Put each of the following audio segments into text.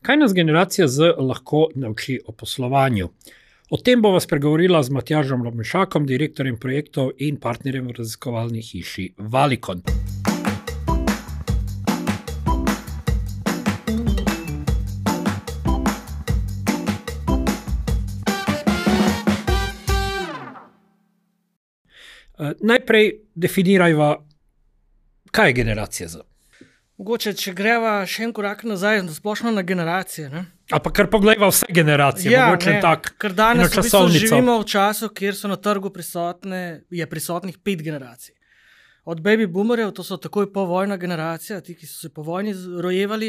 Kaj nas generacija Z lahko nauči o poslovanju? O tem bova spregovorila z Matjažem Lobnšakom, direktorjem projektov in partnerjem v raziskovalni hiši Valicon. Najprej definirajva, kaj je generacija Z. Mogoče, če greva še en korak nazaj, splošno na generacije. Ne? A pa kar poglejva vse generacije, mogoče tak, ker danes v bistvu živimo v času, kjer so na trgu prisotnih 5 generacij. Od baby boomerjev, to so takoj povojna generacija, ti, ki so se po vojni rojevali,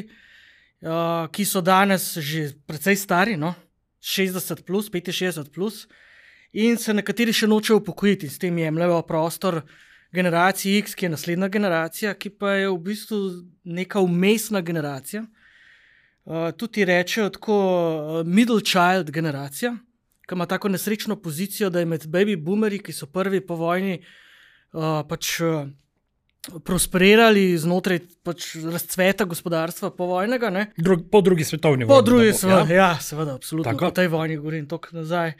ki so danes že precej stari, 60 plus, 65 plus, in se nekateri še nočejo upokojiti, s tem jemljejo prostor generaciji X, ki je naslednja generacija, ki pa je v bistvu neka vmesna generacija. Tudi rečejo tako middle child generacija, ki ima tako nesrečno pozicijo, da je med baby boomerji, ki so prvi po vojni prosperirali znotraj razcveta gospodarstva povojnega. Po drugi svetovni vojni. Po drugi svetovni, ja, seveda, absolutno. Tako? Po tej vojni govorim toliko nazaj.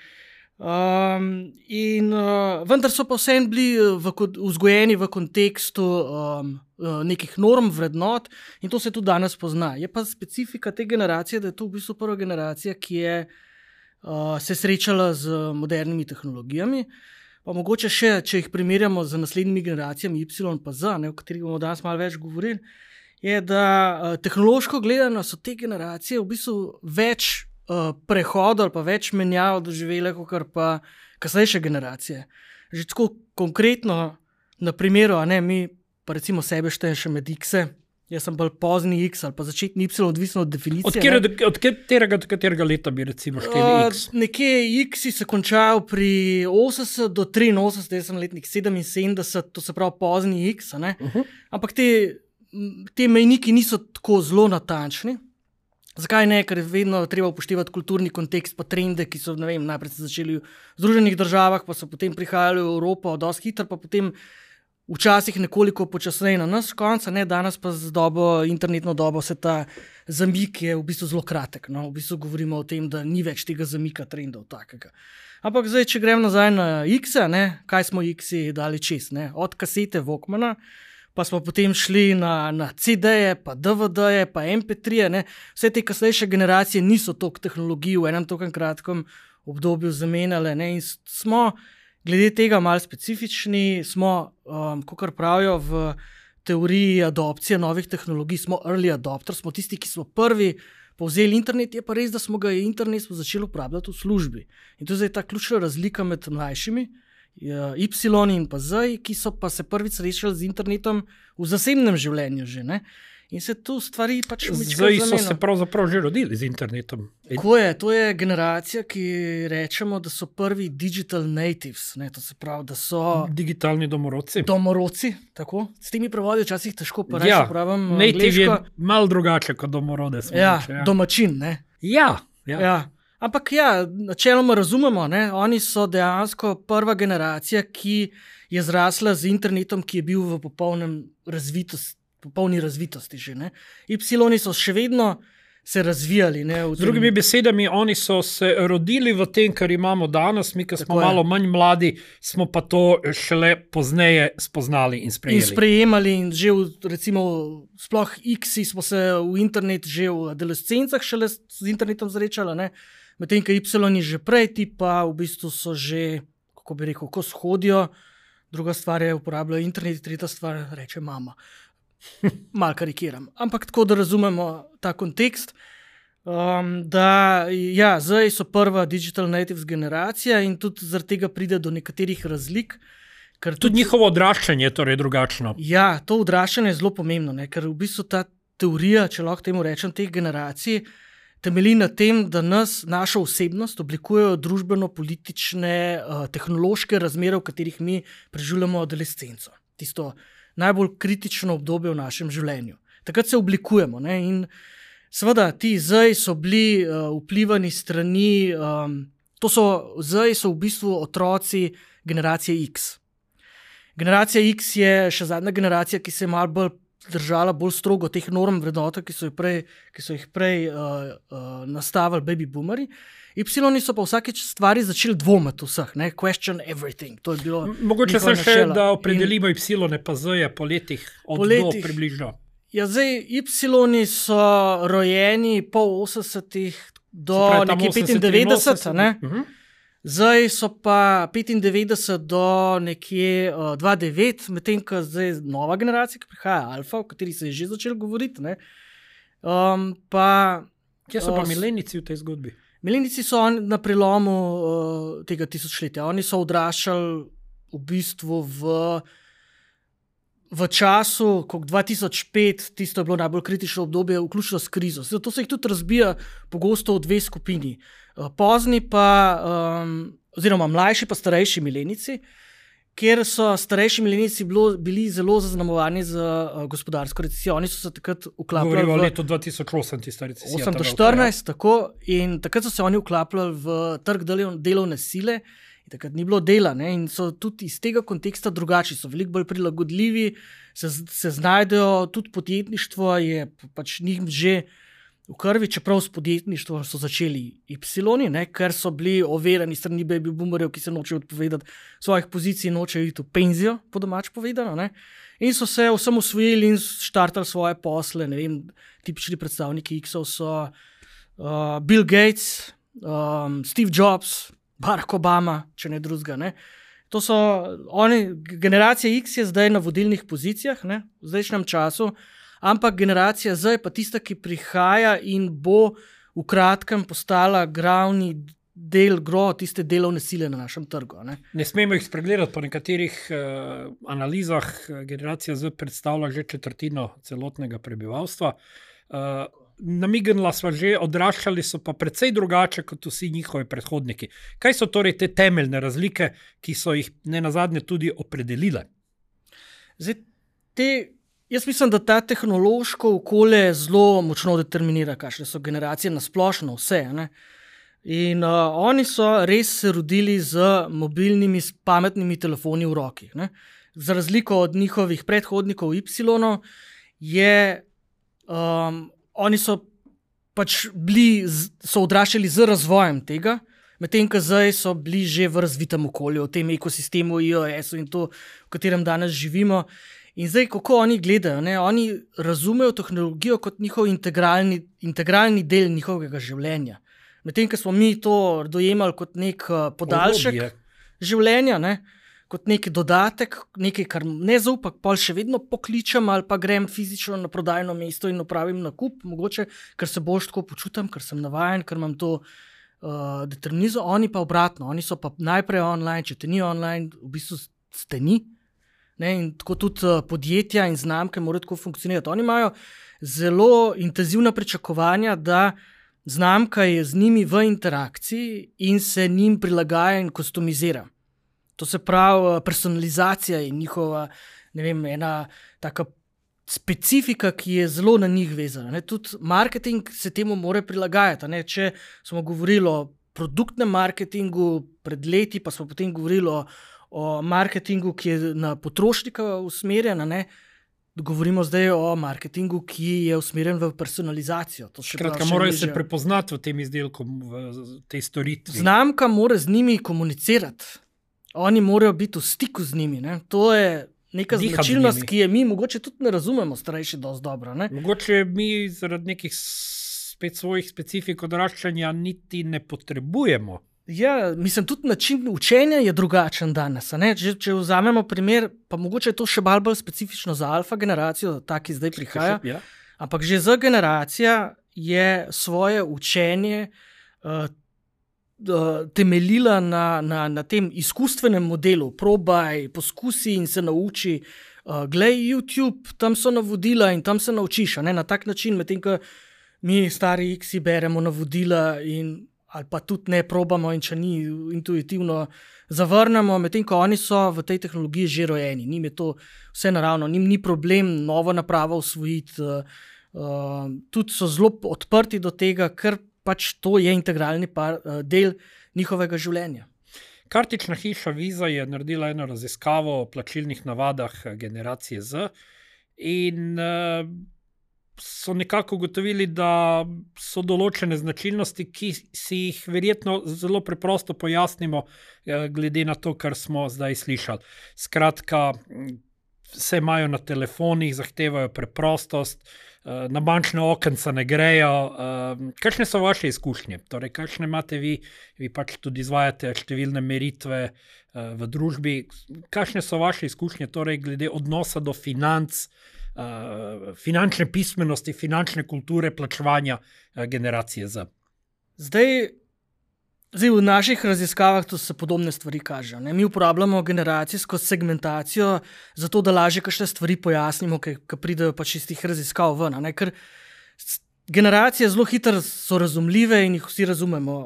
Vendar so pa vseeno bili vzgojeni v kontekstu nekih norm, vrednot in to se tudi danes pozna. Je pa specifika te generacije, da je to v bistvu prva generacija, ki je se srečala z modernimi tehnologijami. Pa mogoče še, če jih primerjamo z naslednjimi generacijami Y pa Z, o katerih bomo danes malo več govorili, je, da tehnološko gledano so te generacije v bistvu več prehodov ali pa več menjav doživele, kot pa kasnejše generacije. Že tako konkretno na primeru, mi pa recimo sebe štejem še med X-e, jaz sem bolj pozni X ali pa začetni Y, odvisno od definicije. Od katerega leta bi recimo šteli X? Nekje X-i se končajo pri 80 do 83, jaz sem letnik 77, to se pravi pozni X, ampak te mejniki niso tako zelo natančni. Zakaj ne? Ker je vedno treba upoštevati kulturni kontekst pa trende, ki so, najprej se začeli v Združenih državah, pa so potem prihajali v Evropo dosti hitro, pa potem včasih nekoliko počasneje na nas konca, danes pa z internetno dobo se ta zamik je v bistvu zelo kratek. V bistvu govorimo o tem, da ni več tega zamika trendov takega. Ampak zdaj, če grem nazaj na X-e, kaj smo X-i dali čez? Od kasete Walkmana, pa smo potem šli na CD-je, pa DVD-je, pa MP3-je. Vse te kasnejše generacije niso toliko tehnologij v enem toliko kratkem obdobju zamenjale. In smo glede tega malo specifični, smo, kakor pravijo v teoriji adopcije novih tehnologij, smo early adopters, smo tisti, ki smo prvi povzeli internet, je pa res, da smo internet začeli uporabljati v službi. In to je zdaj ta ključna razlika med mlajšimi, Y in pa Z, ki so pa se prvič srečali z internetom v zasebnem življenju že. In se tu stvari pač Zdaj so se pravzaprav že rodili z internetom. Tako je, to je generacija, ki rečemo, da so prvi digital natives. To se pravi, da so digitalni domorodci. Domorodci, tako. S temi prevodi včasih težko pa reči, pravim native je malo drugače kot domorode. Domačin, Ja. Ampak načeloma razumemo, oni so dejansko prva generacija, ki je zrasla z internetom, ki je bil v popolni razvitosti že. Y so še vedno se razvijali. Z drugimi besedami, oni so se rodili v tem, kar imamo danes, mi, ki smo malo manj mladi, smo pa to šele pozneje spoznali in sprejeli. In sprejemali in že recimo sploh X-i smo se v internet že v adolescencah šele z internetom zrečali, medtem, ko Y že prej, ti pa v bistvu so že, kako bi rekel, ko shodijo, druga stvar je uporabljajo internet, tretja stvar reče mama. Mal karikiram. Ampak tako, da razumemo ta kontekst, zdaj so prva digital natives generacija in tudi zaradi tega pride do nekaterih razlik. Tudi njihovo odraščanje je torej drugačno. Ja, to odraščanje je zelo pomembno, ker v bistvu ta teorija, če lahko temu rečem, teh generacij, temelji na tem, da našo osebnost oblikujejo družbeno-politične, tehnološke razmere, v katerih mi preživljamo adolescenco. Tisto najbolj kritično obdobje v našem življenju. Takrat se oblikujemo. In seveda, ti zdaj so bili vplivani strani, zdaj so v bistvu otroci generacije X. Generacija X je še zadnja generacija, ki se je malo bolj držala bolj strogo teh norm vrednot, ki so jih prej nastavili baby boomeri. Y so pa vsakeč stvari začeli dvomiti vseh, ne? Question everything. To je bilo mogoče se še, da opredelimo Y pa Z po letih od do približno. Ja, zdaj, Y so rojeni po 80-ih do nekje 95, ne? Zdaj so pa 95 do nekje 2009, medtem ko zdaj nova generacija, ki prihaja, Alfa, o kateri se je že začelo govoriti. Ne? Kje so pa milenijci v tej zgodbi? Milenijci so na prelomu tega tisočletja. Oni so odraščali v bistvu v času, ko 2005, tisto je bilo najbolj kritično obdobje, vključno s krizo. Zato se jih tudi razbija pogosto v dve skupini. Pozni pa, oziroma mlajši pa starejši milenici, kjer so starejši milenici bili zelo zaznamovani z gospodarsko recesijo. Oni so se takrat uklapljali v letu 2008, tista recesija. 8 do 14, tako, in takrat so se oni uklapljali v trg delovne sile, in takrat ni bilo dela, ne, in so tudi iz tega konteksta drugačni, so veliko bolj prilagodljivi, se znajdejo, tudi podjetništvo je pač njim že v krvi, čeprav s podjetništvom so začeli Y, ne, ker so bili overjeni strani baby boomerjev, ki se nočejo odpovedati svojih pozicij, nočejo iti v penzijo, po domač povedano, ne, in so se osamosvojili in štartali svoje posle. Ne vem, tipični predstavniki X-ov so Bill Gates, Steve Jobs, Barack Obama, če ne drugega, ne. To so oni, generacija X je zdaj na vodilnih pozicijah, ne, v zdajšnjem času, ampak generacija Z je pa tista, ki prihaja in bo v kratkem postala glavni del tiste delovne sile na našem trgu. Ne smemo jih spregledati, po nekaterih analizah generacija Z predstavlja že četrtino celotnega prebivalstva. Namignila sva že, odraščali so pa precej drugače kot vsi njihovi predhodniki. Kaj so torej te temeljne razlike, ki so jih nenazadnje tudi opredelile? Zdaj, jaz mislim, da ta tehnološko okolje zelo močno determinira, kakšne so generacije na splošno vse. Ne? In oni so res se rodili z mobilnimi, pametnimi telefoni v roki. Ne? Za razliko od njihovih predhodnikov Y, oni so pač so odraščali z razvojem tega, medtem ko zdaj so bili že v razvitem okolju, v tem ekosistemu iOS-u in to, v katerem danes živimo. In zdaj, kako oni gledajo, ne? Oni razumejo tehnologijo kot njihov integralni del njihovega življenja. Medtem, ko smo mi to dojemali kot nek podaljšek življenja, ne? Kot nek dodatek, nekaj, kar ne zaupam, pa še vedno pokličem ali pa grem fizično na prodajno mesto in opravim nakup, mogoče, ker se bolj tako počutim, ker sem navajen, ker imam to determinizo. Oni pa obratno, oni so pa najprej online, če te ni online, v bistvu ste ni. Ne, in tako tudi podjetja in znamke morajo tako funkcionirati. Oni imajo zelo intenzivna pričakovanja, da znamka je z njimi v interakciji in se njim prilagaja in customizira. To se pravi, personalizacija je njihova, ne vem, ena taka specifika, ki je zelo na njih vezana. Ne. Tudi marketing se temu mora prilagajati. Ne. Če smo govorili o produktnem marketingu pred leti, pa smo potem govorili o marketingu, ki je na potrošnika usmerjen, ne? Govorimo zdaj o marketingu, ki je usmerjen v personalizacijo. Skratka, morajo se prepoznati v tem izdelku, v tej storitvi. Znamka mora z njimi komunicirati. Oni morajo biti v stiku z njimi. Ne? To je neka značilnost, ki je mi mogoče tudi ne razumemo starejši dosti dobro. Ne? Mogoče mi zaradi nekih spet svojih specifik odraščanja niti ne potrebujemo. Ja, mislim, tudi način učenja je drugačen danes. Če vzamemo primer, pa mogoče je to še bolj specifično za alfa generacijo, ta, ki zdaj prihaja, ja. Ampak že Z generacija je svoje učenje temeljila na tem izkustvenem modelu. Probaj, poskusi in se nauči. Glej YouTube, tam so navodila in tam se naučiš. Na tak način, medtem ko mi stari X-i beremo navodila ali pa tudi ne probamo in če ni intuitivno zavrnemo, medtem ko oni so v tej tehnologiji že rojeni. Njim je to vse naravno, njim ni problem novo napravo usvojiti, tudi so zelo odprti do tega, ker pač to je integralni del njihovega življenja. Kartična hiša Visa je naredila eno raziskavo o plačilnih navadah generacije Z in so nekako ugotovili, da so določene značilnosti, ki si jih verjetno zelo preprosto pojasnimo, glede na to, kar smo zdaj slišali. Skratka, vse imajo na telefonih, zahtevajo preprostost, na bančne okenca ne grejo. Kakšne so vaše izkušnje? Torej, kakšne imate vi? Vi pač tudi izvajate številne meritve v družbi. Kakšne so vaše izkušnje, torej, glede odnosa do financ, finančne pismenosti, finančne kulture, plačevanja generacije Z? Zdaj v naših raziskavah to se podobne stvari kažejo. Mi uporabljamo generacijsko segmentacijo, zato da lažje kakšne stvari pojasnimo, ki pridejo pač iz teh raziskav ven. Ker generacije zelo hitro so razumljive in jih vsi razumemo.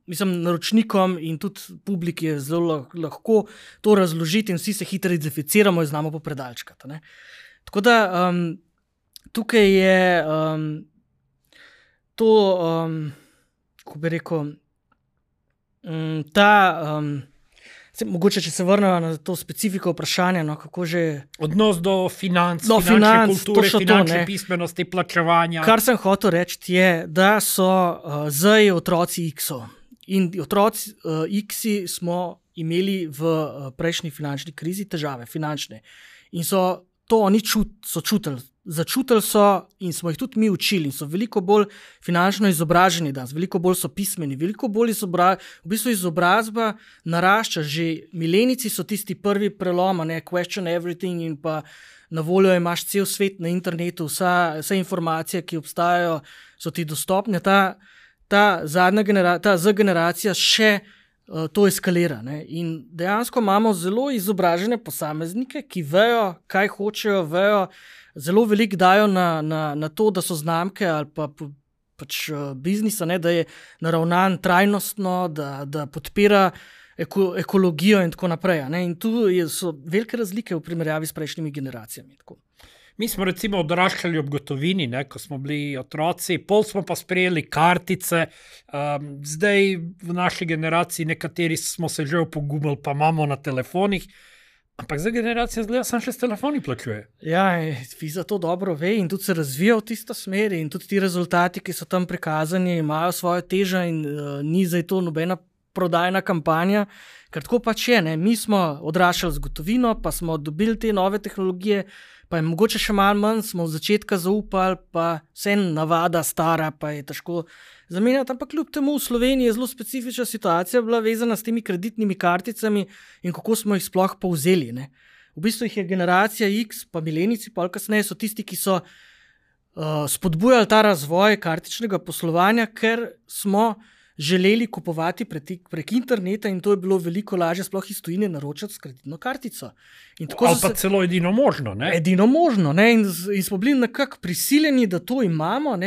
Mislim, naročnikom in tudi publiki je zelo lahko to razložiti in vsi se hitro identificiramo in znamo popredalčkati. Tako da tukaj je to, kako bi rekel, mogoče, če se vrnemo na to specifiko vprašanja, kako že... Odnos do financ, finančne kulture, finančne pismenosti, plačevanja. Kar sem hotel reči je, da so zdaj otroci X-ov. In otroci X-i smo imeli v prejšnji finančni krizi težave, finančne. In so to oni so čutili. Začutili so in smo jih tudi mi učili in so veliko bolj finančno izobraženi danes, veliko bolj so pismeni, veliko bolj v bistvu izobrazba narašča. Že milenici so tisti prvi prelom, question everything, in pa na voljo imaš cel svet na internetu, vse informacije, ki obstajajo, so ti dostopne. Ta Z generacija še to eskalira. In dejansko imamo zelo izobražene posameznike, ki vejo, kaj hočejo, vejo, zelo veliko dajo na to, da so znamke ali pač biznisa, da je naravnan trajnostno, da podpira ekologijo in tako naprej. In tu so velike razlike v primerjavi s prejšnjimi generacijami. Tako. Mi smo recimo odraščali ob gotovini, ko smo bili otroci, pol smo pa sprejeli kartice, zdaj v naši generaciji nekateri smo se že opogumili, pa imamo na telefonih, ampak za generacijo zgleda, sam še s telefoni plačuje. Ja, Fiza to dobro ve in tudi se razvija v tisto smer in tudi ti rezultati, ki so tam prikazani, imajo svojo težo in ni zdaj to nobena prodajna kampanja, ker tako pač je. Mi smo odraščali z gotovino, pa smo dobili te nove tehnologije, pa je mogoče še malo manj, smo v začetka zaupali, pa vse navada stara, pa je težko zamenjati, ampak kljub temu v Sloveniji je zelo specifična situacija bila vezana s temi kreditnimi karticami in kako smo jih sploh povzeli. V bistvu jih je generacija X, pa milenici, pa kasneje so tisti, ki so spodbujali ta razvoj kartičnega poslovanja, ker smo želeli kupovati prek interneta in to je bilo veliko lažje sploh iz tujine naročati s kreditno kartico. Ali pa celo edino možno. Edino možno. In smo bili nekako prisiljeni, da to imamo,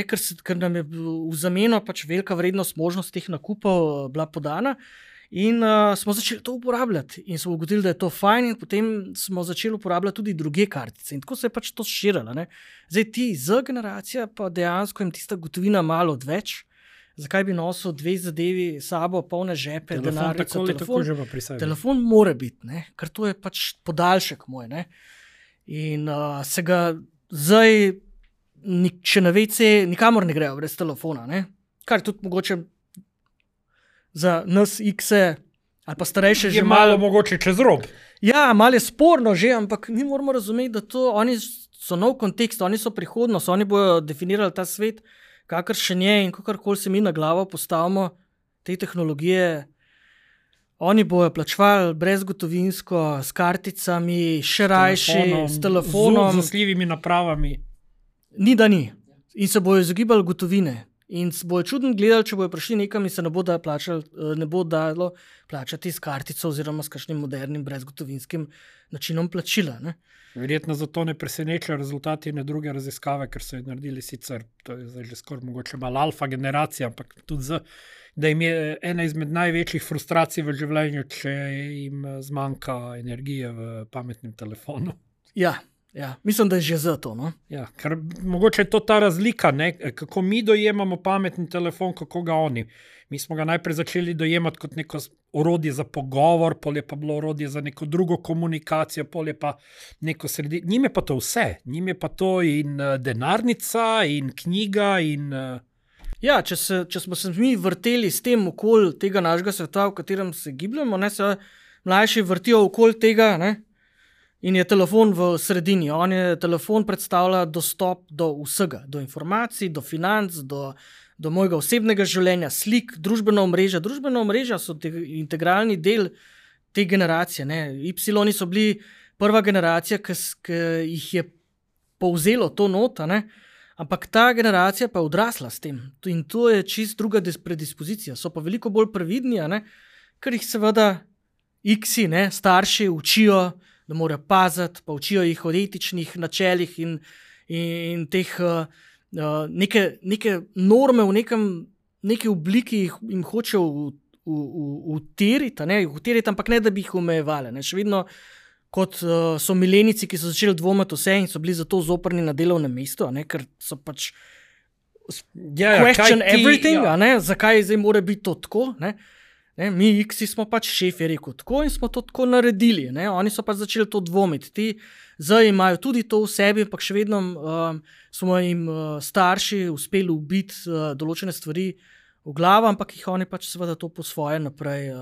ker nam je v zameno pač velika vrednost, možnost teh nakupov bila podana in smo začeli to uporabljati in smo ugotovili, da je to fajn in potem smo začeli uporabljati tudi druge kartice in tako se je pač to širilo. Zdaj ti Z generacija pa dejansko jim tista gotovina malo odveč. Zakaj bi nosil dve zadevi sabo, polne žepe, denarnico, telefon? Telefon mora biti, ker to je pač podaljšek moj. In se ga zdaj, če na WC, nikamor ne grejo brez telefona. Kar tudi mogoče za nas X-e ali pa starejše že malo mogoče čez rob. Ja, malo je sporno že, ampak mi moramo razumeti, da to oni so nov kontekst, oni so prihodnost, oni bojo definirali ta svet, kakršen je in kakorkoli se mi na glavo postavimo te tehnologije, oni bojo plačevali brezgotovinsko, s karticami, še rajši, s telefonom. Z zasljivimi napravami. Ni, da ni. In se bojo izogibali gotovine. In se bojo čudno gledali, če bojo prišli nekam in se ne bo dalo plačati s kartico oziroma s kakšnim modernim brezgotovinskim načinom plačila. Verjetno zato ne presenečajo rezultati ene druge raziskave, ker so jo naredili sicer, to je zdaj že skoraj mogoče malo alfa generacija, ampak tudi da jim je ena izmed največjih frustracij v življenju, če jim zmanjka energije v pametnem telefonu. Ja, Ja, mislim, da je že zato. No? Ja, ker mogoče je to ta razlika, ne? Kako mi dojemamo pametni telefon, kako ga oni. Mi smo ga najprej začeli dojemati kot neko orodje za pogovor, pol je pa bilo orodje za neko drugo komunikacijo, pol je pa neko sredi. Njim je pa to vse. Njim je pa to in denarnica, in knjiga. Ja, če smo se mi vrteli s tem okoli tega našega sveta, v katerem se gibljamo, ne, se mlajši vrtijo okoli tega, ne, in je telefon v sredini. Telefon predstavlja dostop do vsega, do informacij, do financ, do mojega osebnega življenja, slik, družbena omrežja. Družbena omrežja so integralni del te generacije. Ne. Y so bili prva generacija, ki jih je povzelo to nota, ne. Ampak ta generacija pa je odrasla s tem. In to je čist druga predispozicija. So pa veliko bolj previdni, ne, ker jih seveda X-i, ne, starši učijo, da morajo paziti, pa učijo jih o etičnih načelih in teh neke norme v neki obliki jim hočejo utiriti, ampak ne, da bi jih omejevali. Še vedno, kot so milenici, ki so začeli dvomiti vse in so bili zato zoprni na delovnem mestu, ker so pač question everything, zakaj zdaj mora biti to tako, ne? Mi X-i smo pač šef je rekel tako in smo to tako naredili. Oni so pač začeli to dvomiti. Ti zdaj imajo tudi to v sebi, ampak še vedno smo jim starši uspeli ubiti določene stvari v glavo, ampak jih oni pač seveda to po svoje naprej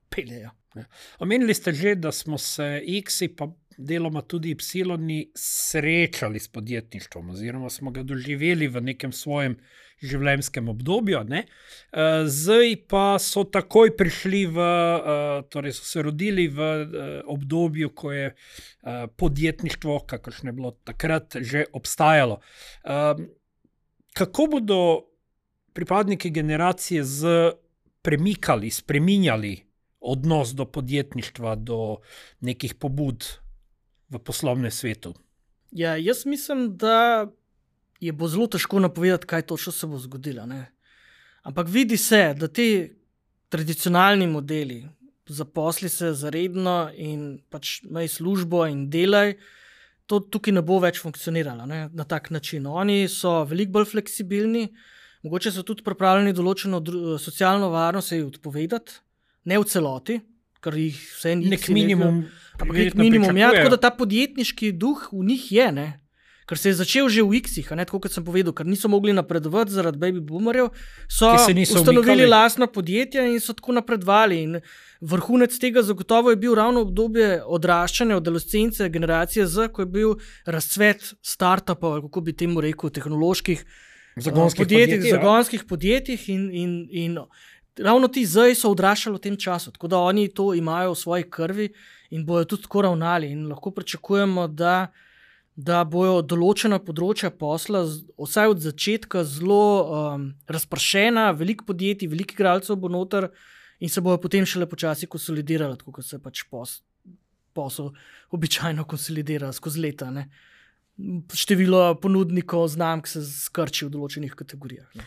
peljejo. Omenili ste že, da smo se X-i pa deloma tudi Y srečali s podjetništvom oziroma smo ga doživeli v nekem svojem življenjskem obdobju. Ne? Zdaj pa so takoj prišli torej so se rodili v obdobju, ko je podjetništvo, kakršno je bilo takrat, že obstajalo. Kako bodo pripadniki generacije Z premikali, spreminjali odnos do podjetništva, do nekih pobud v poslovnem svetu? Ja, jaz mislim, da bo zelo težko napovedati, kaj točno se bo zgodilo. Ne? Ampak vidi se, da ti tradicionalni modeli, zaposli se zaredno in pač imej službo in delaj, to tukaj ne bo več funkcioniralo, ne? Na tak način. Oni so veliko bolj fleksibilni, mogoče so tudi pripravljeni določeno socialno varnost odpovedati, ne v celoti, ker jih vse nek minimum, nek minimum, ja, tako da ta podjetniški duh v njih je, ne? Ker se je začel že v X-ih, tako kot sem povedal, ker niso mogli napredovati zaradi baby boomerjev, so ustanovili lastna podjetja in so tako napredovali. In vrhunec tega zagotovo je bil ravno obdobje odraščanja od adolescence generacije Z, ko je bil razcvet startupov, kako bi temu rekel, tehnoloških zagonskih podjetjih in ravno ti zdaj so odraščali v tem času, tako da oni to imajo v svoji krvi in bojo tudi tako ravnali in lahko pričakujemo, da bojo določena področja posla, vsaj od začetka, zelo razpršena, veliko podjetij, veliko igralcev bo noter in se bojo potem šele počasi konsolidirali, tako kot se pač posel običajno konsolidira skozi leta. Ne? Število ponudnikov znamk se skrči v določenih kategorijah. Ne?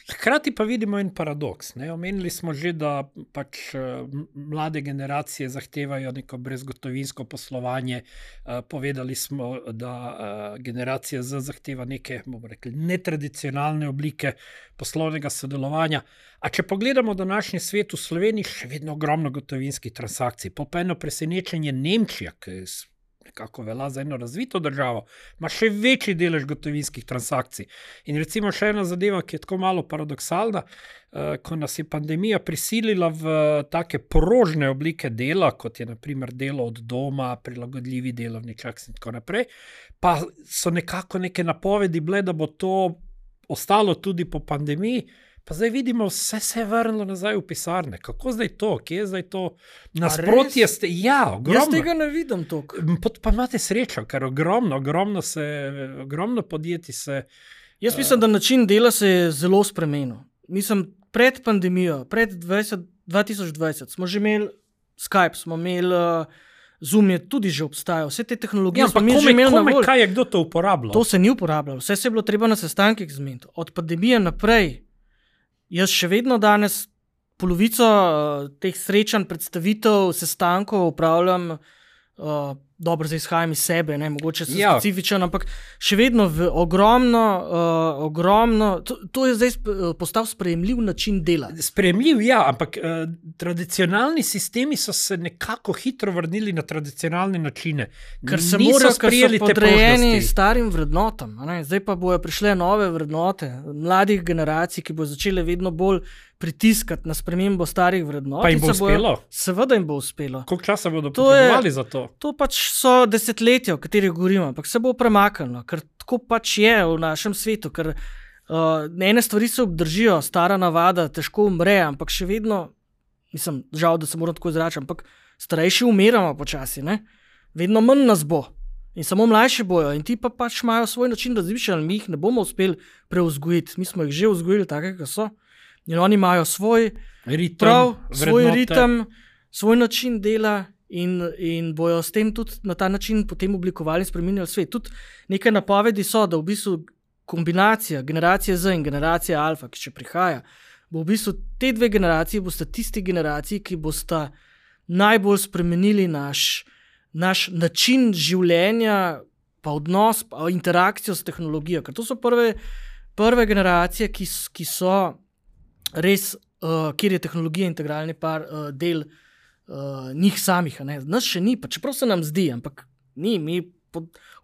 Hkrati pa vidimo en paradoks. Ne? Omenili smo že, da pač mlade generacije zahtevajo neko brezgotovinsko poslovanje. Povedali smo, da generacija Z zahteva neke, bomo rekli, netradicionalne oblike poslovnega sodelovanja. A če pogledamo današnji svet, v Sloveniji še vedno ogromno gotovinskih transakcij. Pa eno presenečenje Nemčija, ki nekako velja za eno razvito državo, ima še večji delež gotovinskih transakcij. In recimo še ena zadeva, ki je tako malo paradoksalna, ko nas je pandemija prisilila v take prožne oblike dela, kot je na primer delo od doma, prilagodljivi delovni čas in tako naprej, pa so nekako neke napovedi bile, da bo to ostalo tudi po pandemiji. Pa zdaj vidimo, vse se je vrnilo nazaj v pisarne. Kako zdaj to? Kje je zdaj to? Nasprotje ste... Ja, ogromno. Jaz tega ne vidim toliko. Pa imate srečo, ker ogromno podjetij se... Jaz mislim, da način dela se je zelo spremenil. Mislim, pred pandemijo, pred 2020 smo že imeli Skype, smo imeli Zoom, je tudi že obstajal. Vse te tehnologije smo mi že imeli na voljo. Kaj je kdo to uporabljal? To se ni uporabljalo. Vse se je bilo treba na sestankih zmeniti. Od pandemije naprej jaz še vedno danes polovico teh srečanj, predstavitev, sestankov upravljam dobro, zdaj izhajam iz sebe, ne, mogoče sem specifičen, ampak še vedno ogromno, to je zdaj postal sprejemljiv način dela. Sprejemljiv, ja, ampak tradicionalni sistemi so se nekako hitro vrnili na tradicionalne načine. Ker so podrejeni starim vrednotam. Zdaj pa bojo prišle nove vrednote mladih generacij, ki bojo začele vedno bolj pritiskati na spremembo starih vrednot. Pa jim bo uspelo? Seveda jim bo uspelo. Koliko časa bodo potrebovali za to? To pač so desetletja, o katerih govorimo, ampak se bo premaknilo, ker tako pač je v našem svetu, ker ene stvari se obdržijo, stara navada težko umre, ampak še vedno, mislim, žal, da se moram tako izračati, ampak starejši umiramo počasi, ne? Vedno manj nas bo in samo mlajši bojo in ti pa pač imajo svoj način razmišljanja, mi jih ne bomo uspeli preuzgojiti, mi smo jih že vzgojili take, kot so. In oni imajo svoj ritem, svoj način dela in bojo s tem tudi na ta način potem oblikovali in spreminjali svet. Tudi nekaj napovedi so, da v bistvu kombinacija generacije Z in generacije Alfa, ki še prihaja, bo v bistvu te dve generaciji bosta tisti generaciji, ki bosta najbolj spremenili naš način življenja, pa odnos, pa interakcijo s tehnologijo. Ker to so prve generacije, ki so res, kjer je tehnologija integralni del njih samih. Nas še ni, pa čeprav se nam zdi, ampak ni, mi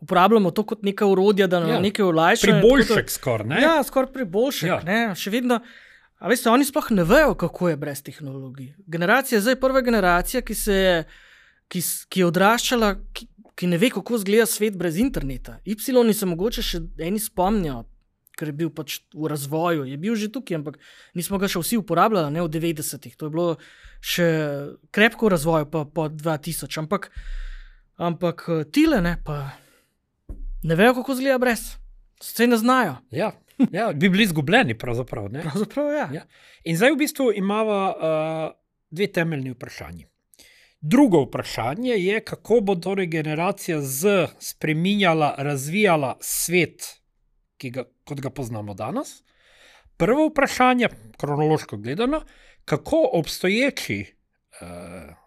uporabljamo to kot neka orodja, da nam nekaj olajša. Priboljšek skoraj, ne? Ja, skoraj priboljšek, ne? Še vedno, a veste, oni sploh ne vejo, kako je brez tehnologij. Generacija zdaj je prva generacija, ki je odraščala, ki ne ve, kako izgleda svet brez interneta. Y se mogoče še eni spomnijo, ker je bil pač v razvoju, je bil že tukaj, ampak nismo ga še vsi uporabljali, ne v 90-ih. To je bilo še krepko v razvoju po 2000, ampak tile, ne, pa ne vejo, kako izgleda brez. Se ne znajo. Ja, bi bili izgubljeni pravzaprav, ne? Pravzaprav, ja. In zdaj v bistvu imava dve temeljni vprašanji. Drugo vprašanje je, kako bo torej generacija Z spreminjala, razvijala svet, kot ga poznamo danes. Prvo vprašanje, kronološko gledano, kako obstoječi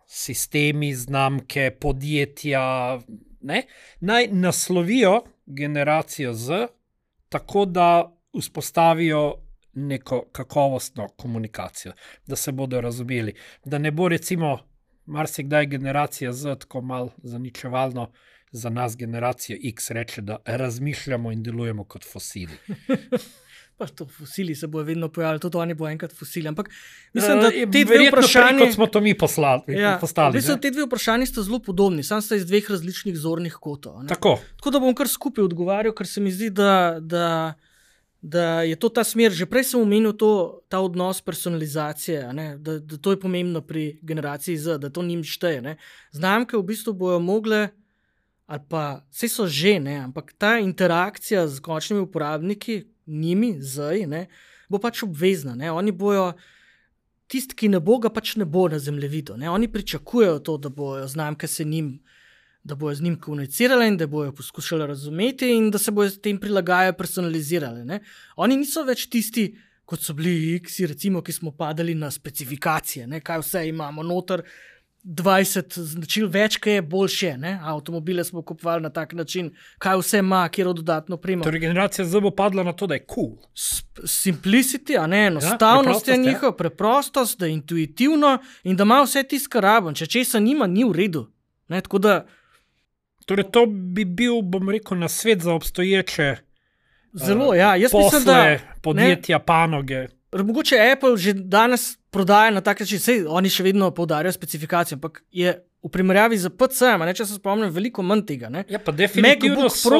sistemi, znamke, podjetja naj naslovijo generacijo Z, tako da vzpostavijo neko kakovostno komunikacijo, da se bodo razumeli, da ne bo recimo marsikdaj generacija Z tako malo zaničevalno za nas generacijo X reče, da razmišljamo in delujemo kot fosili. Pa to fosili se bojo vedno pojavili, tudi oni bo enkrat fosili, ampak mislim, da te dve vprašanji, kot smo to mi postali. Mislim, te dve vprašanji sta zelo podobni, samo sta iz dveh različnih zornih kotov. Tako da bom kar skupaj odgovarjal, ker se mi zdi, da je to ta smer. Že prej sem omenil ta odnos personalizacije, da to je pomembno pri generaciji Z, da to njim šteje. Ne? Znamke v bistvu bojo mogle, ali pa vse so že, ampak ta interakcija z končnimi uporabniki, njimi, zdaj, bo pač obvezna. Oni bojo, tisti, ki ne bo, ga pač ne bo na zemljevidu. Oni pričakujejo to, da bojo znamke da bojo z njim komunicirale in da bojo poskušali razumeti in da se bojo s tem prilagajali, personalizirali. Oni niso več tisti, kot so bili X, recimo, ki smo padali na specifikacije, kaj vse imamo noter, 20 značil več, kaj je boljše. Avtomobile smo kupovali na tak način, kaj vse ima, kjer dodatno prima. Torej generacija Z bo padla na to, da je cool. Simplicity, enostavnost je njihova, preprostost, da je intuitivno in da ima vse tisto, kar rabim. Če česa nima, ni v redu. Tako da torej to bi bil, bom rekel, nasvet za obstoječe zelo, jaz posle, mislim, da podjetja, panoge. Mogoče Apple že danes prodaja na tak način, sej oni še vedno poudarjajo specifikacijo, ampak je v primerjavi z PC-em, če se spomnim, veliko manj tega. Ja, pa definitivno so,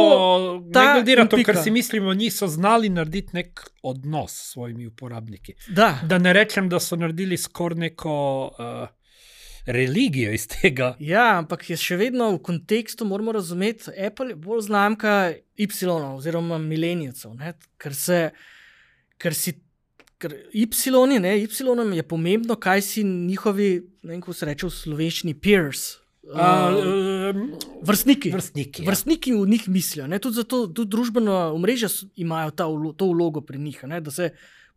ne glede na to, kar si mislimo, niso znali narediti nek odnos s svojimi uporabniki. Da ne rečem, da so naredili skoraj neko religijo iz tega. Ja, ampak je še vedno v kontekstu, moramo razumeti, Apple je bolj znamka Y oziroma milenijcev, ker Y-om je pomembno, kaj si njihovi, ne vem, kako se reče v slovenščini, peers, vrstniki. Vrstniki v njih mislijo. Ne? Tudi zato tudi družbeno omrežje imajo to vlogo pri njih, ne? Da se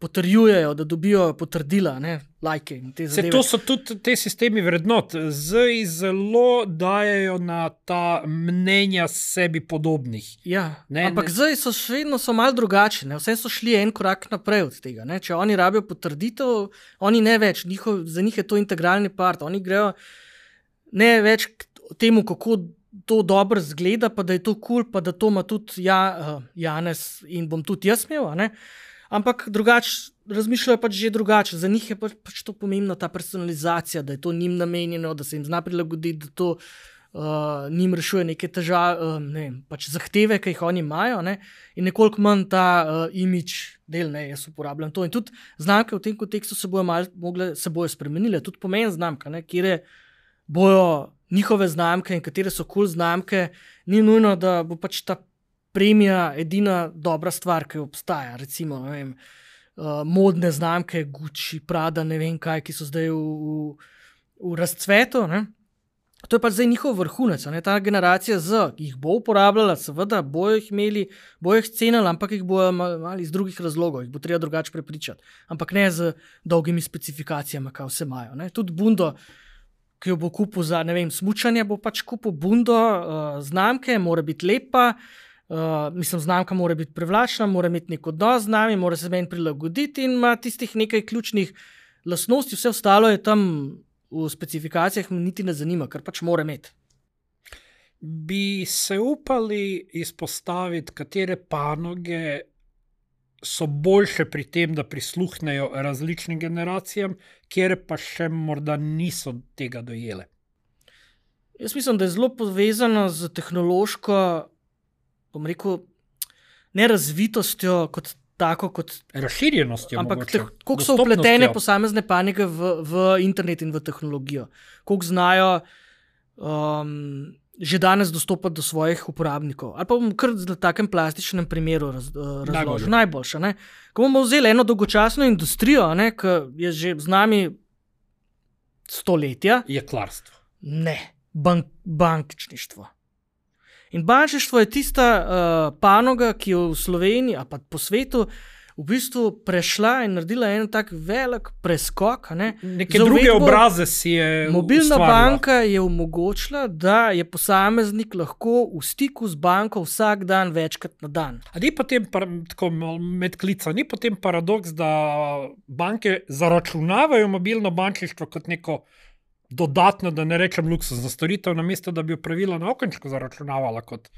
potrjujejo, da dobijo potrdila, lajke in te zadeve. To so tudi te sistemi vrednot. Zdaj zelo dajejo na ta mnenja sebi podobnih. Ja, ampak zdaj so še vedno malo drugačni. Vse so šli en korak naprej od tega. Ne? Če oni rabijo potrditev, oni ne več. Za njih je to integralni part. Oni grejo ne več k temu, kako to dobro zgleda, pa da je to kul, pa da to ima tudi Janez in bom tudi jaz imel, ampak drugače razmišljajo pač že drugače. Za njih je pač to pomembno, ta personalizacija, da je to njim namenjeno, da se jim zna prilagoditi, da to njim rešuje neke težave, pač zahteve, ki jih oni imajo, in nekoliko manj ta imidž del, jaz uporabljam to. In tudi znamke v tem kontekstu se bojo spremenile, tudi pomen znamka, kjer bojo njihove znamke in katere so kul znamke, ni nujno, da bo pač ta premija edina dobra stvar, ki obstaja. Recimo, modne znamke, Gucci, Prada, ne vem kaj, ki so zdaj v razcvetu. To je pač zdaj njihov vrhunec. Ta generacija jih bo uporabljala, seveda, bojo jih imeli, bojo jih cenili, ampak jih bojo imeli iz drugih razlogov, jih bo treba drugače prepričati. Ampak ne z dolgimi specifikacijami, kaj vse imajo. Tudi Bundo, ki jo bo kupil za, smučanje, bo pač kupil Bundo znamke, mora biti lepa, znamka mora biti privlačna, mora imeti nek odnos z nami, mora se meni prilagoditi in ima tistih nekaj ključnih lastnosti, vse ostalo je tam v specifikacijah, me niti ne zanima, ker pač mora imeti. Bi se upali izpostaviti, katere panoge so boljše pri tem, da prisluhnejo različnim generacijam, kjer pa še morda niso tega dojele? Jaz mislim, da je zelo povezano z tehnološko, bom rekel, ne razvitostjo kot tako, kot razširjenostjo, ampak koliko so vpletene posamezne panoge v internet in v tehnologijo, koliko znajo že danes dostopati do svojih uporabnikov. Ali pa bom kar v takem plastičnem primeru razložil. Najboljša. Ko bomo vzeli eno dolgočasno industrijo, ki je že z nami stoletja. Jeklarstvo. Ne, bančništvo. In bančništvo je tista panoga, ki je v Sloveniji, a pa po svetu, v bistvu prešla in naredila en tak velik preskok. Neke druge obraze si je mobilna ustvarila. Banka je omogočila, da je posameznik lahko v stiku z banko vsak dan večkrat na dan. A ni potem, tako med klica, ni potem paradoks, da banke zaračunavajo mobilno bančništvo kot neko dodatno, da ne rečem luksuzno storitev, namesto da bi jo pravila na okenčku zaračunavala kot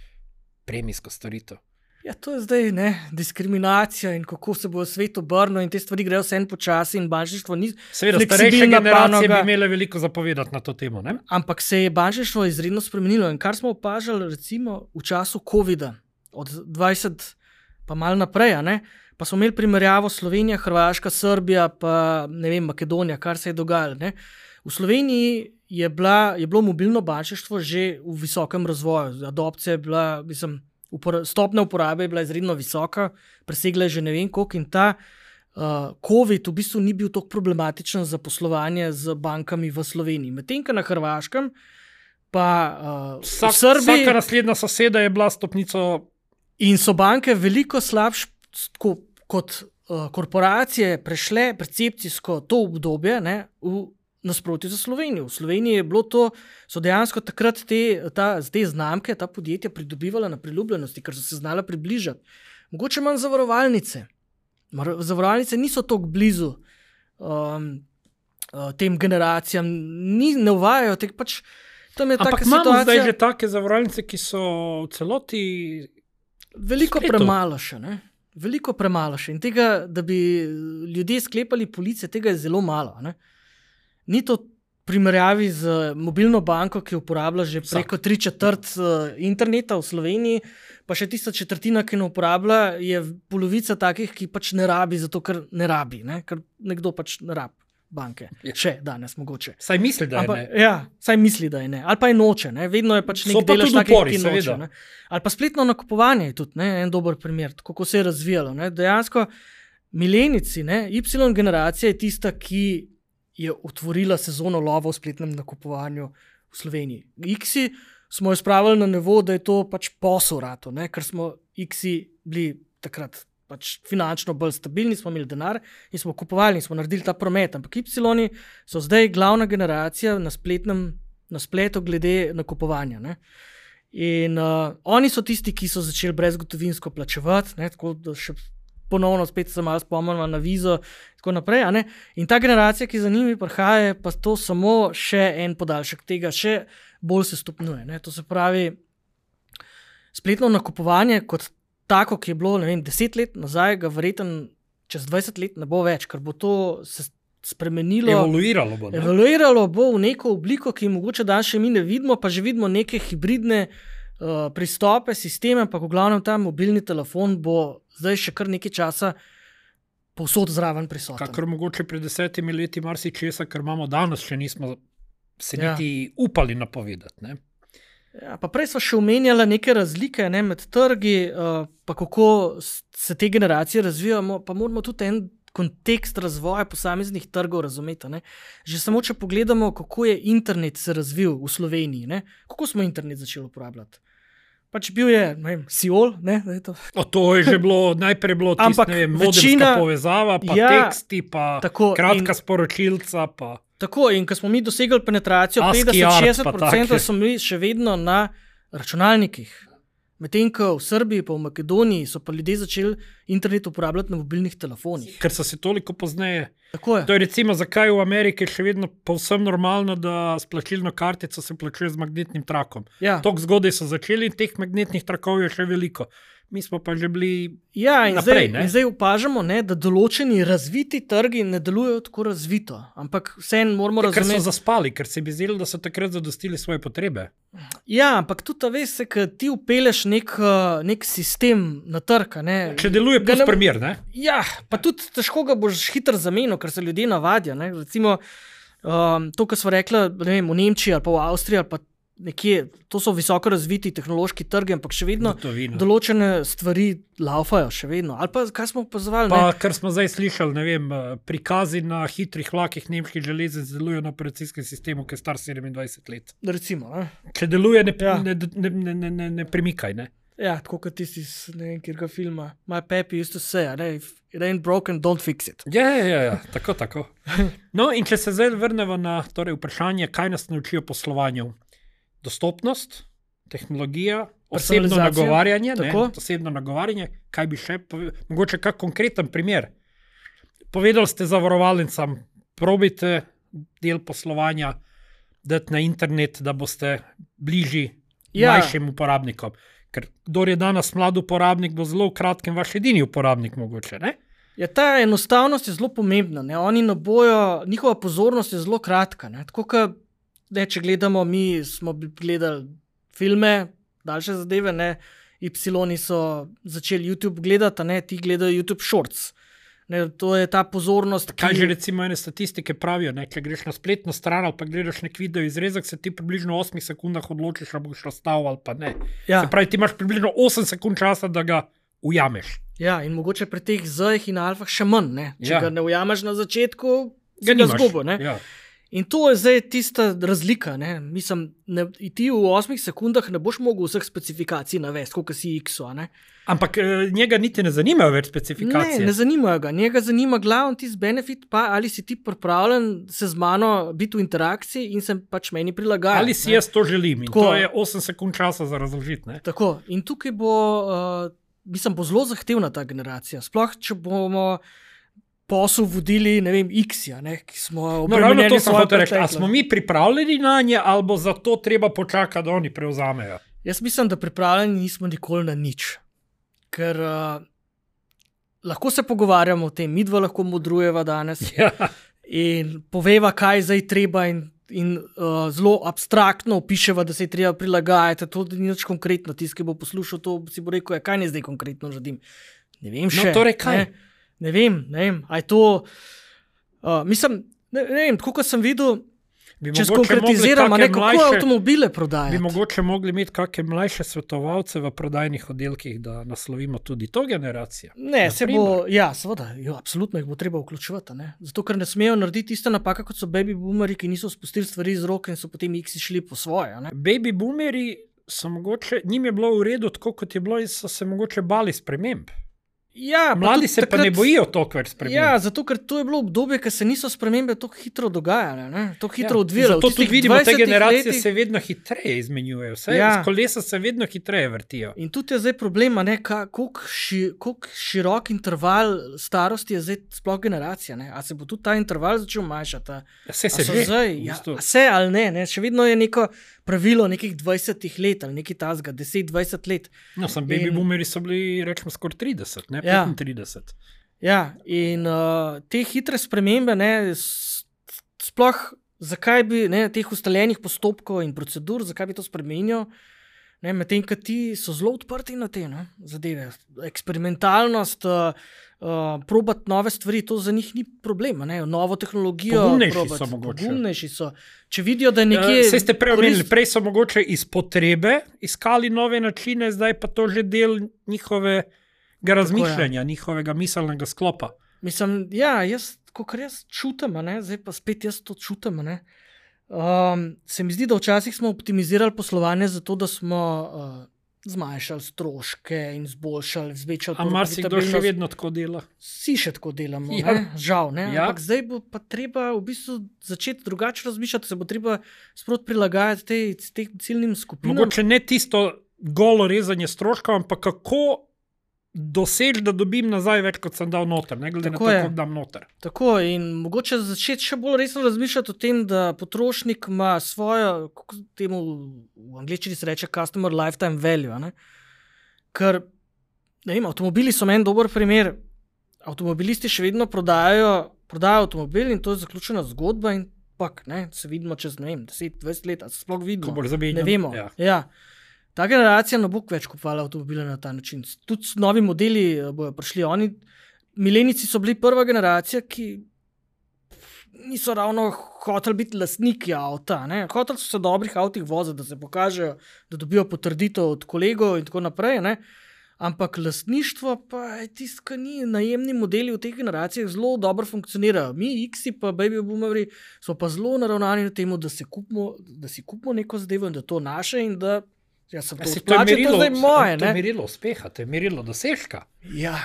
premijsko storitev? Ja, to je zdaj diskriminacija in kako se bo svet obrnil in te stvari grejo vse en počasi in bančništvo ni seveda, starejše generacije bi imele veliko zapovedati na to temo, ne? Ampak se je bančništvo izredno spremenilo in kar smo opažali recimo v času COVID-a, od 20 pa malo naprej, pa smo imeli primerjavo Slovenija, Hrvaška, Srbija, pa Makedonija, kar se je dogajalo, V Sloveniji je bilo mobilno bančništvo že v visokem razvoju. Adopcija je bila, stopnja uporabe je bila izredno visoka, presegla je že ne vem koliko in ta COVID v bistvu ni bil tako problematičen za poslovanje z bankami v Sloveniji. Medtem ko na Hrvaškem pa v Srbiji... Vsaka naslednja soseda je bila stopnico... In so banke veliko slabše kot korporacije prešle percepcijsko to obdobje v nasprotju za Slovenijo. V Sloveniji je bilo to, so dejansko takrat te znamke, ta podjetja pridobivala na priljubljenosti, ker so se znala približati. Mogoče manj zavarovalnice. Zavarovalnice niso tako blizu tem generacijam, ne uvajajo teh pač. Ampak imamo zdaj že take zavarovalnice, ki so v celoti veliko premalo še, Veliko premalo še. In tega, da bi ljudje sklepali police, tega je zelo malo, Ni to primerjavi z mobilno banko, ki uporablja že preko 3/4 interneta v Sloveniji, pa še tista četrtina, ki ne uporablja, je polovica takih, ki pač ne rabi, zato ker ne rabi, ker nekdo pač ne rabi banke. Še danes mogoče. Saj misli, da je ne. Ja, saj misli, da je ne. Ali pa je noče, vedno je pač nek delež takih, ki noče. Ali pa spletno nakupovanje je tudi en dober primer, kako se je razvijalo. Dejansko milenici, Y generacija je tista, ki je otvorila sezono lova v spletnem nakupovanju v v Sloveniji. X-i smo jo spravili na nivo, da je to pač posel rato, ker smo X-i bili takrat pač finančno bolj stabilni, smo imeli denar in smo kupovali in smo naredili ta promet. Ampak Y so zdaj glavna generacija na spletu glede nakupovanja. Ne? In oni so tisti, ki so začeli brezgotovinsko plačevati, tako da še ponovno spet se malo spomnimo na Vizo in tako naprej. In ta generacija, ki za njimi prihaja, pa to samo še en podaljšek tega, še bolj se stopnjuje. To se pravi, spletno nakupovanje kot tako, ki je bilo 10 let nazaj, ga verjetno čez 20 let ne bo več, ker bo to se spremenilo. Evoluiralo bo v neko obliko, ki mogoče danes še mi ne vidimo, pa že vidimo neke hibridne pristope, sisteme, pa v glavnem ta mobilni telefon bo zdaj še kar nekaj časa povsod zraven prisoten. Kakor mogoče pred 10 leti marsičesa, kar imamo danes, še nismo se niti upali napovedati. Ne? Ja, pa prej smo še omenjali neke razlike med trgi, pa kako se te generacije razvijajo, pa moramo tudi en kontekst razvoja posameznih trgov razumeti. Že samo, če pogledamo, kako je internet se razvil v Sloveniji, kako smo internet začeli uporabljati. Pač bil je, Siol, To je že bilo, najprej bilo tisto, modemska povezava, pa teksti, pa kratka sporočilca, pa... Tako, in ko smo mi dosegli penetracijo 50-60%, smo bili še vedno na računalnikih. Medtem ko v Srbiji pa v Makedoniji so pa ljudje začeli internet uporabljati na mobilnih telefonih. Ker so se toliko pozneje. To je recimo, zakaj v Ameriki še vedno povsem normalno, da s plačilno kartico se plačuje z magnetnim trakom. Tok zgodaj so začeli in teh magnetnih trakov je še veliko. Mi smo pa že bili naprej. In zdaj opažamo, da določeni razviti trgi ne delujejo tako razvito. Ampak vseeno moramo razumeti. Ker so zaspali, ker se bi zdelo, da so takrat zadostili svoje potrebe. Ja, ampak tudi veste, ker ti upeleš nek sistem na trg. Če deluje plus primer, ne? Ja, pa tudi težko ga boš hitro zamenil, ker se ljudje navadijo. Recimo to, kar smo rekli, v Nemčiji ali pa v Avstriji ali pa nekje, to so visoko razviti tehnološki trgi, ampak še vedno določene stvari laufajo, še vedno. Ali pa, kaj smo opazovali? Pa, kar smo zdaj slišali, prikazi na hitrih vlakih nemških železnic delujejo na operacijskem sistemu, ki je star 27 let. Recimo, Če deluje, ne premikaj, ne? Ja, tako kot tisti iz nekega filma. My papi used to say, if it ain't broken, don't fix it. Ja, tako. No, in če se zdaj vrnemo na vprašanje, kaj nas naučijo poslovanju. Dostopnost, tehnologija, osebno nagovarjanje, kaj bi še povedal, mogoče kak konkreten primer. Povedali ste zavarovalnicam, probajte del poslovanja dati na internet, da boste bližji mlajšim uporabnikom. Ker kdor je danes mlad uporabnik, bo zelo v kratkem vaš edini uporabnik mogoče, ne? Ja, ta enostavnost je zelo pomembna. Oni njihova pozornost je zelo kratka. Tako, če gledamo, mi smo gledali filme, daljše zadeve, Y so začeli YouTube gledati, ti gledajo YouTube Shorts. To je ta pozornost, Kaj že recimo ene statistike pravijo, če greš na spletno stran ali pa gledaš nek video izrezek, se ti približno 8 sekundah odločiš, ali boš razstavil ali pa ne. Se pravi, ti imaš približno 8 sekund časa, da ga ujameš. Ja, in mogoče pri teh Z-jih in alfah še manj, Če ga ne ujameš na začetku, ga zgubo, In to je zdaj tista razlika. Mislim, ti v 8 sekundah ne boš mogel vseh specifikacij navesti, kot si X-o. Ampak njega niti ne zanimajo več specifikacije. Ne zanimajo ga. Njega zanima glavno tisti benefit, pa ali si ti pripravljen se z mano biti v interakciji in se pač meni prilagajati. Ali si jaz to želim in tako, to je 8 sekund časa za razložiti. Tako. In tukaj bo zelo zahtevna ta generacija. Sploh, če bomo posel vodili, X-ja, ki smo obremenjeni svoje preteklosti. A smo mi pripravljeni na nje, ali bo za to treba počakati, da oni prevzamejo? Jaz mislim, da pripravljeni nismo nikoli na nič. Ker lahko se pogovarjamo o tem, midva lahko modrujeva danes in poveva, kaj zdaj treba in zelo abstraktno opiševa, da se je treba prilagajati. To ni nič konkretno. Tisti, ki bo poslušal to, si bo rekel, kaj ne zdaj konkretno želim. Ne vem še. No, torej kaj? Ne vem, a je to, mislim, ne vem, tako kot sem videl. Če skonkretiziramo, kako avtomobile prodajati. Bi mogoče mogli imeti kakšne mlajše svetovalce v prodajnih oddelkih, da naslovimo tudi to generacijo. Ne, seveda, absolutno jih bo treba vključevati. Ne? Zato, ker ne smejo narediti iste napake, kot so baby boomeri, ki niso spustili stvari iz roke in so potem X šli po svoje. Ne? Baby boomeri so mogoče, njim je bilo v redu tako, kot je bilo in so se mogoče bali sprememb. Ja, mladi se pa ne bojijo toliko več sprememb. Ja, zato ker to je bilo obdobje, ker se niso spremembe tako hitro dogajale, tako hitro odvijale. Zato tudi vidimo, te generacije se vedno hitreje izmenjujejo, kolesa se vedno hitreje vrtijo. In tudi je zdaj problem, koliko širok interval starosti je zdaj sploh generacija. A se bo tudi ta interval začel manjšati? Vse ali ne, še vedno je neko pravilo nekih 20 let ali nekaj tazga, 10-20 let. No, baby boomeri so bili, rečemo, skoraj 30, ne 35. Ja, in te hitre spremembe, sploh zakaj bi teh ustaljenih postopkov in procedur, zakaj bi to spremenil, medtem, ko ti so zelo odprti na te zadeve. Eksperimentalnost, probati nove stvari, to za njih ni problema. Novo tehnologijo. Pogumnejši so. Če vidijo, da je nekje... Saj ste prej so mogoče iz potrebe iskali nove načine, zdaj pa to že del njihovega razmišljanja, njihovega miselnega sklopa. Mislim, kakor jaz čutim, zdaj pa spet jaz to čutim, se mi zdi, da včasih smo optimizirali poslovanje zato, da smo zmanjšali stroške in zboljšali, zvečali profitabilnost. A marsikdo še vedno tako dela? Vsi še tako delamo, žal. Ampak zdaj bo pa treba v bistvu začeti drugače razmišljati, se bo treba sprot prilagajati tem ciljnim skupinam. Mogoče ne tisto golo rezanje stroškov, ampak kako doseči, da dobim nazaj več, kot sem dal noter, ne glede na to, koliko dam noter. Tako, in mogoče začeti še bolj resno razmišljati o tem, da potrošnik ima svojo, kako temu v angleščini se reče customer lifetime value, ker, avtomobili so meni dober primer, avtomobilisti še vedno prodajajo avtomobil in to je zaključena zgodba in se vidimo čez, 10-20 let, ali se sploh vidimo, ne vemo. Ja. Ta generacija ne bo več kupovala avtomobile na ta način. Tudi novi modeli bojo prišli. Milenici so bili prva generacija, ki niso ravno hoteli biti lastniki avta. Hoteli so se dobrih avtih voziti, da se pokažejo, da dobijo potrditev od kolegov in tako naprej. Ampak lastništvo pa je tisto, kar ni. Najemni modeli v teh generacijah zelo dobro funkcionirajo. Mi, X-i pa baby boomeri, so pa zelo naravnani na temu, da si kupimo neko zadevo in da to naše in da to je moje. To je merilo uspeha, to je merilo dosežka. Ja,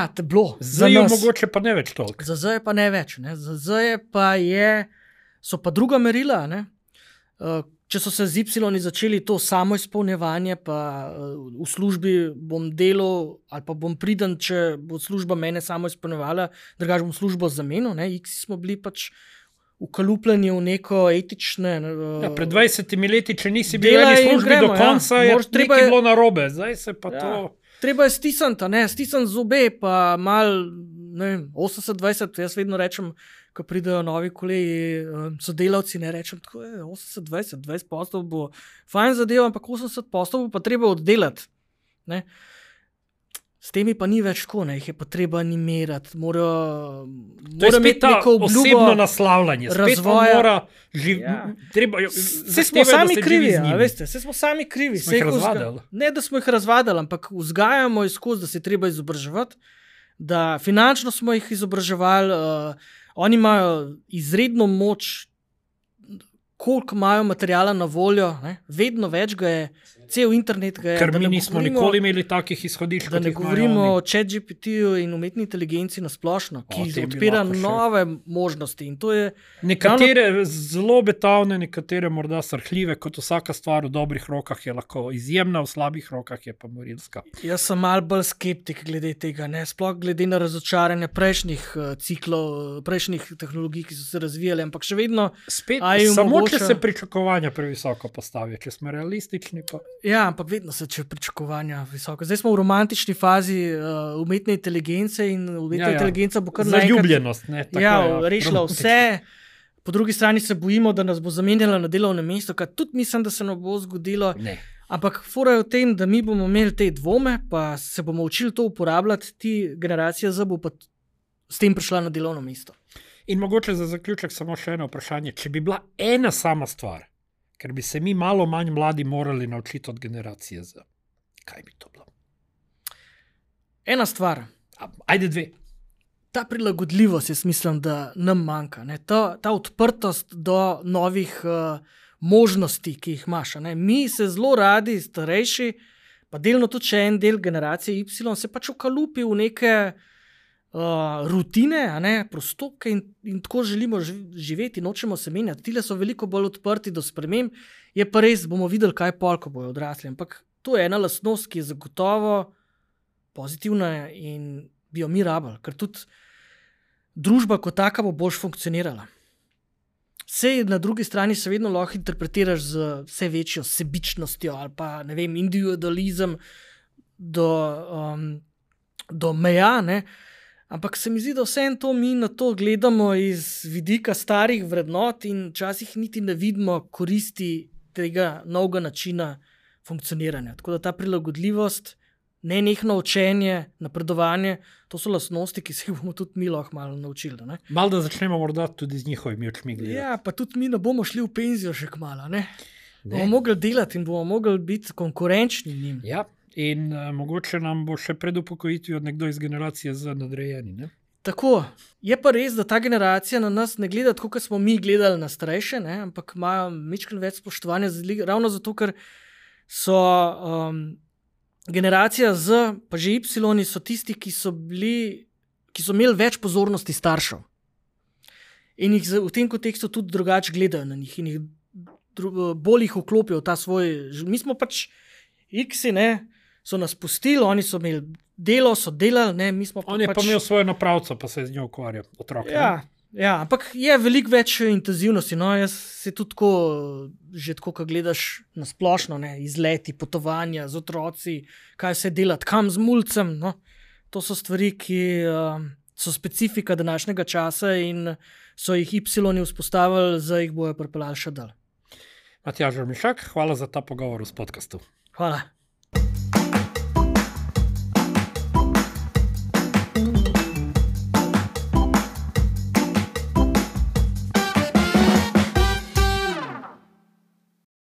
to je bilo. Zdaj je mogoče pa ne več toliko. Za zdaj pa ne več. Zdaj pa so pa druga merila. Če so se z Y začeli to samo izpolnjevanje, pa v službi bom delal ali pa bom priden, če bo služba mene samo izpolnjevala, drugače bom službo zamenil. X smo bili pač ukalupljeni v neko etične... pred 20 leti, če nisi bil v službi do konca, je nekaj bilo narobe. Zdaj se pa to... Treba je stisniti zobe, pa mal 80-20, jaz vedno rečem, ko pridejo novi kolegi, sodelavci, ne rečem, tako je 80-20, 20% bo fajn zadev, ampak 80% bo pa treba oddelati. S temi pa ni več tako, jih je pa treba animirati, mora imeti neko obljubo, osebno naslavljanje, razvoja. Vse smo sami krivi, veste, vse smo sami krivi. Smo jih razvadali. Ne, da smo jih razvadali, ampak vzgajamo jih skozi, da se treba izobraževati, da finančno smo jih izobraževali, oni imajo izredno moč, koliko imajo materijala na voljo, vedno več ga je, cel internet ga je. Ker mi nismo nikoli imeli takih izhodišč. Da ne govorimo o ChatGPT-ju in umetni inteligenci na splošno, ki odpira nove možnosti. In to je nekatere zelo obetavne, nekatere morda srhljive, kot vsaka stvar v dobrih rokah je lahko izjemna, v slabih rokah je pa morilska. Jaz sem malo bolj skeptik glede tega, sploh glede na razočaranje prejšnjih ciklov, prejšnjih tehnologij, ki so se razvijale, ampak še vedno samo če se pričakovanja previsoko postavijo, če smo realistični pa... Ja, ampak vedno se če pričakovanja visoko. Zdaj smo v romantični fazi umetne inteligence in umetna inteligenca bo kar zaljubljenost. Rešila vse. Po drugi strani se bojimo, da nas bo zamenjala na delovnem mestu, kar tudi mislim, da se ne bo zgodilo. Ne. Ampak fora je v tem, da mi bomo imeli te dvome, pa se bomo učili to uporabljati, ti generacija Z bo pa s tem prišla na delovno mesto. In mogoče za zaključek samo še eno vprašanje. Če bi bila ena sama stvar, ker bi se mi malo manj mladi morali naučiti od generacije Z, kaj bi to bilo? Ena stvar. Ajde dve. Ta prilagodljivost, jaz mislim, da nam manjka. Ne? Ta odprtost do novih možnosti, ki jih imaš. Ne? Mi se zelo radi, starejši, pa delno tudi še en del generacije Y, se pač ukalupi v neke rutine, prostopke in tako želimo živeti, nočemo se menjati. Tile so veliko bolj odprti do sprememb, je pa res, bomo videli, kaj pol, ko bojo odrasli. Ampak to je ena lastnost, ki je zagotovo pozitivna in bi jo mi rabili, ker tudi družba kot taka bo boljš funkcionirala. Sej na drugi strani se vedno lahko interpretiraš z vse večjo sebičnostjo ali pa, ne vem, individualizem do meja, ne? Ampak se mi zdi, da vseeno to mi na to gledamo iz vidika starih vrednot in včasih niti ne vidimo koristi tega novega načina funkcioniranja. Tako da ta prilagodljivost, nenehno učenje, napredovanje, to so lastnosti, ki se jih bomo tudi mi lahko malo naučili. Ne? Malo da začnemo morda tudi z njihovimi očmi gledati. Ja, pa tudi mi ne bomo šli v penzijo še kmalo. Bomo mogli delati in bomo mogli biti konkurenčni njim. Ja, in mogoče nam bo še pred upokojitvijo nekdo iz generacije Z nadrejeni. Ne? Tako, je pa res, da ta generacija na nas ne gleda tako, kot smo mi gledali na starejše, ampak imajo majčkeno več spoštovanja, ravno zato, ker so generacija Z, pa že Y, so tisti, ki so imeli več pozornosti staršev. In jih v tem kontekstu tudi drugače gledajo na njih in jih bolj jih vklopijo v ta svoj. Mi smo pač X-i, so nas pustili, oni so imeli delo, so delali, mi smo on je pa imel svojo napravco, pa se je z njo ukvarjal, otrok. Ja, ampak je veliko več intenzivnosti. Jaz se tudi že tako, ko gledaš na splošno, izleti, potovanja z otroci, kaj vse delati, kam z mulcem. To so stvari, ki so specifika današnjega časa in so jih Y vzpostavili, zdaj jih bojo pripeljali še dalj. Matjaž Mišak, hvala za ta pogovor v podcastu. Hvala.